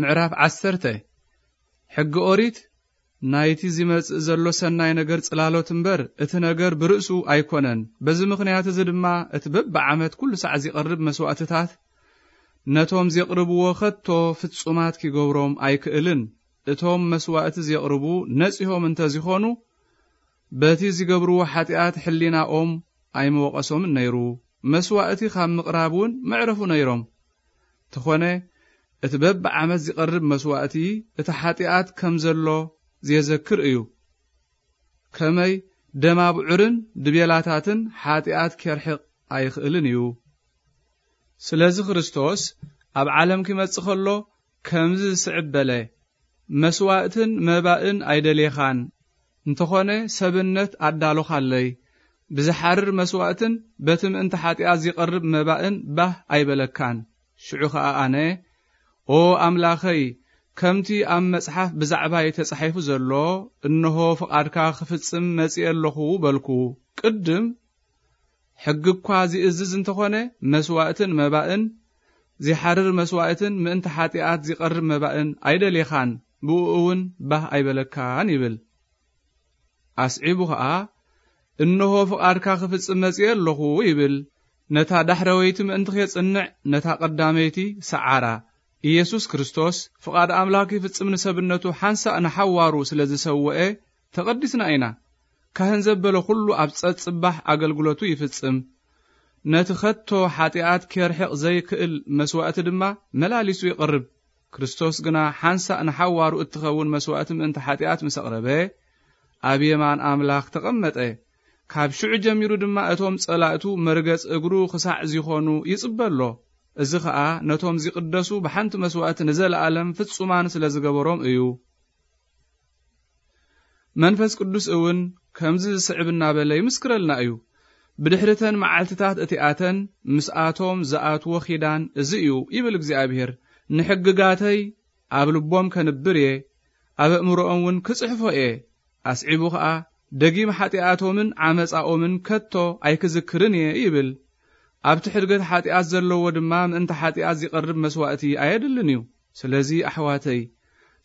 ምዕራፍ ዓሰርተ። ሕጊ ኦሪት ናይቲ ዚመጽእ ዘሎ ሰናይ ነገር ጽላሎት እምበር፣ እቲ ነገር ብርእሱ ኣይኮነን። በዚ ምኽንያት እዚ ድማ፣ እቲ በብዓመት ኩሉ ሳዕ ዚቐርብ መስዋእትታት፣ ነቶም ዜቕርብዎ ኸቶ ፍጹማት ኪገብሮም ኣይክእልን። እቶም መስዋእቲ ዜቕርቡ ነጺሆም እንተ ዚኾኑ፣ በቲ ዚገብርዎ ሓጢኣት ሕሊናኦም ኣይምወቐሶምን ነይሩ። መስዋእቲ ካብ ምቕራብ እውን መዕረፉ ነይሮም። ተኾነ፣ እቲ በብዓመት ዚቐርብ መስዋእቲ፣ እቲ ሓጢኣት ከም ዘሎ ዜዘክር እዩ። ከመይ ደም ኣብዑርን ድቤላታትን ሓጢኣት ኬርሕቕ ኣይኽእልን እዩ። ስለዚ ክርስቶስ ኣብ ዓለም ኪመጽእ ኸሎ ከምዚ ዝስዕብ በለ፣ መስዋእትን መባእን ኣይደሌኻን፣ እንተኾነ ሰብነት ኣዳሎኻለይ። ብዝሓርር መስዋእትን በቲ ምእንቲ ሓጢኣት ዚቐርብ መባእን ባህ ኣይበለካን። ሽዑ ኸኣ ኣነ፣ ኦ ኣምላኸይ፣ ከምቲ ኣብ መጽሓፍ ብዛዕባይ ተጻሒፉ ዘሎ፣ እንሆ ፍቓድካ ክፍጽም መጺኤ ኣለኹ በልኩ። ቅድም ሕጊ እኳ ዚእዝዝ እንተኾነ፣ መስዋእትን መባእን፣ ዚሓርር መስዋእትን ምእንቲ ሓጢኣት ዚቐርብ መባእን ኣይደሌኻን፣ ብእኡ እውን ባህ ኣይበለካን ይብል። ኣስዒቡ ኸኣ፣ እንሆ ፍቓድካ ክፍጽም መጺኤ ኣለኹ ይብል። ነታ ዳሕረወይቲ ምእንቲ ኼጽንዕ፣ ነታ ቀዳመይቲ ሰዓራ። ኢየሱስ ክርስቶስ ፍቓድ ኣምላኽ ይፍጽም ንሰብነቱ ሓንሳእ ንሓዋሩ ስለ ዝሰውኤ ተቐዲስና ኢና። ካህን ዘበለ ኹሉ ኣብ ጸጽባሕ ኣገልግሎቱ ይፍጽም። ነቲ ኸቶ ሓጢኣት ኬርሕቕ ዘይክእል መስዋእቲ ድማ መላሊሱ ይቕርብ። ክርስቶስ ግና ሓንሳእ ንሓዋሩ እትኸውን መስዋእቲ ምእንቲ ሓጢኣት ምስ ኣቕረበ፣ ኣብ የማን ኣምላኽ ተቐመጠ። ካብ ሽዑ ጀሚሩ ድማ እቶም ጸላእቱ መርገጽ እግሩ ክሳዕ ዚኾኑ ይጽበ ኣሎ። እዚ ኸኣ ነቶም ዚቕደሱ ብሓንቲ መስዋእቲ ንዘለኣለም ፍጹማን ስለ ዝገበሮም እዩ። መንፈስ ቅዱስ እውን ከምዚ ዝስዕብ እናበለ ይምስክረልና እዩ። ብድሕሪተን መዓልትታት እቲኣተን ምስኣቶም ዝኣትዎ ኺዳን እዚ እዩ፣ ይብል እግዚኣብሔር። ንሕግጋተይ ኣብ ልቦም ከንብር እየ፣ ኣብ ኣእምሮኦም እውን ክጽሕፎ እየ። ኣስዒቡ ኸኣ፣ ደጊም ሓጢኣቶምን ዓመጻኦምን ከቶ ኣይክዝክርን እየ ይብል። ኣብቲ ሕድገት ሓጢኣት ዘለዎ ድማ ምእንቲ ሓጢኣት ዚቐርብ መስዋእቲ ኣየድልን እዩ። ስለዚ ኣሕዋተይ፣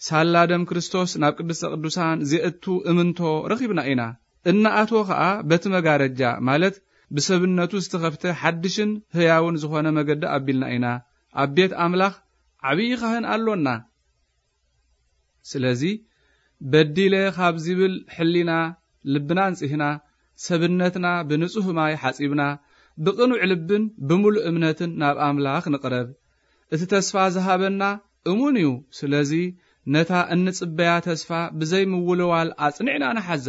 ሳላ ደም ክርስቶስ ናብ ቅድስተ ቅዱሳን ዜእቱ እምንቶ ረኺብና ኢና። እናኣትወ ኸኣ በቲ መጋረጃ፣ ማለት ብሰብነቱ ዝተኸፍተ ሓድሽን ህያውን ዝኾነ መገዲ ኣቢልና ኢና። ኣብ ቤት ኣምላኽ ዓብዪ ኻህን ኣሎና። ስለዚ፣ በዲለ ካብ ዚብል ሕሊና ልብና ኣንጺህና፣ ሰብነትና ብንጹህ ማይ ሓጺብና፣ ብቕኑዕ ልብን ብምሉእ እምነትን ናብ ኣምላኽ ንቕረብ። እቲ ተስፋ ዝሃበና እሙን እዩ። ስለዚ፣ ነታ እንጽበያ ተስፋ ብዘይ ምውልዋል ኣጽኒዕና ንሓዛ።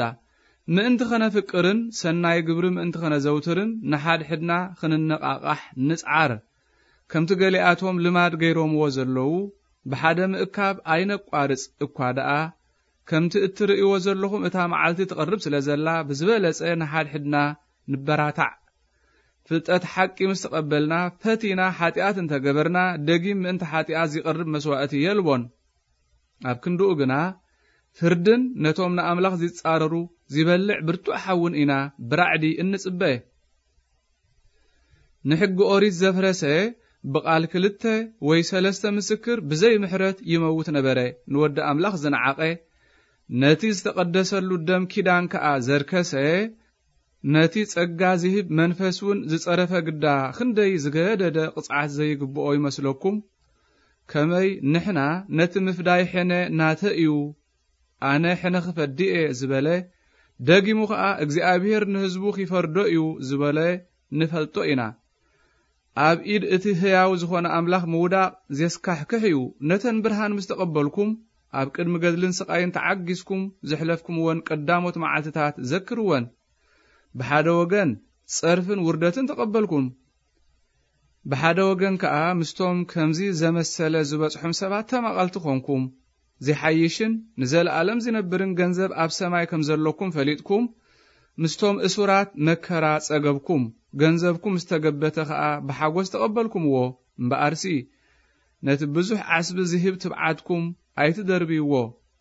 ምእንቲ ኸነፍቅርን ሰናይ ግብሪ ምእንቲ ኸነዘውትርን ንሓድሕድና ኽንነቓቓሕ ንጽዓር። ከምቲ ገሊኣቶም ልማድ ገይሮምዎ ዘለዉ፣ ብሓደ ምእካብ ኣይነቋርጽ እኳ ደኣ፣ ከምቲ እትርእይዎ ዘለኹም እታ መዓልቲ ትቐርብ ስለ ዘላ፣ ብዝበለጸ ንሓድሕድና ንበራታዕ። ፍልጠት ሓቂ ምስ ተቐበልና፣ ፈቲና ሓጢኣት እንተ ገበርና፣ ደጊም ምእንቲ ሓጢኣት ዚቐርብ መስዋእቲ የልቦን። ኣብ ክንድኡ ግና፣ ፍርድን ነቶም ንኣምላኽ ዚጻረሩ ዚበልዕ ብርቱዕ ሓውን ኢና ብራዕዲ እንጽበ። ንሕጊ ኦሪት ዘፍረሰ ብቓል ክልተ ወይ ሰለስተ ምስክር ብዘይ ምሕረት ይመውት ነበረ። ንወዲ ኣምላኽ ዝነዓቐ፣ ነቲ ዝተቐደሰሉ ደም ኪዳን ከኣ ዘርከሰ፣ ነቲ ጸጋ ዚህብ መንፈስ እውን ዝጸረፈ ግዳ ክንደይ ዝገደደ ቅጽዓት ዘይግብኦ ይመስለኩም? ከመይ ንሕና ነቲ ምፍዳይ ሕነ ናተ እዩ፣ ኣነ ሕነ ክፈዲ እየ ዝበለ፣ ደጊሙ ኸኣ እግዚኣብሔር ንህዝቡ ኺፈርዶ እዩ ዝበለ ንፈልጦ ኢና። ኣብ ኢድ እቲ ህያው ዝኾነ ኣምላኽ ምውዳቕ ዜስካሕክሕ እዩ። ነተን ብርሃን ምስ ተቐበልኩም፣ ኣብ ቅድሚ ገድልን ስቓይን ተዓጊስኩም ዘሕለፍኩምወን ቀዳሞት መዓልትታት ዘክርወን። ብሓደ ወገን ጸርፍን ውርደትን ተቐበልኩም። ብሓደ ወገን ከኣ ምስቶም ከምዚ ዘመሰለ ዝበጽሖም ሰባት ተማቐልቲ ኾንኩም። ዚሓይሽን ንዘለኣለም ዚነብርን ገንዘብ ኣብ ሰማይ ከም ዘለኩም ፈሊጥኩም፣ ምስቶም እሱራት መከራ ጸገብኩም። ገንዘብኩም ምስ ተገበተ ኸኣ ብሓጎስ ተቐበልኩምዎ። እምበኣርሲ፣ ነቲ ብዙሕ ዓስቢ ዚህብ ትብዓትኩም ኣይትደርብይዎ።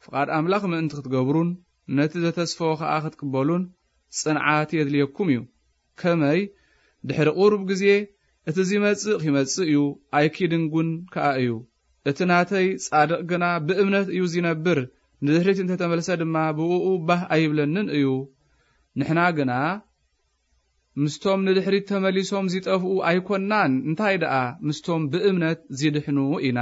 ፍቓድ ኣምላኽ ምእንቲ ክትገብሩን ነቲ ዘተስፈዎ ኸኣ ክትቅበሉን ጽንዓት የድልየኩም እዩ። ከመይ፣ ድሕሪ ቁሩብ ግዜ እቲ ዚመጽእ ኺመጽእ እዩ፣ ኣይኪድንጉን ከኣ እዩ። እቲ ናተይ ጻድቕ ግና ብእምነት እዩ ዚነብር፣ ንድሕሪት እንተ ተመልሰ ድማ ብእኡ ባህ ኣይብለንን እዩ። ንሕና ግና ምስቶም ንድሕሪት ተመሊሶም ዚጠፍኡ ኣይኮንናን፣ እንታይ ደኣ ምስቶም ብእምነት ዚድሕኑ ኢና።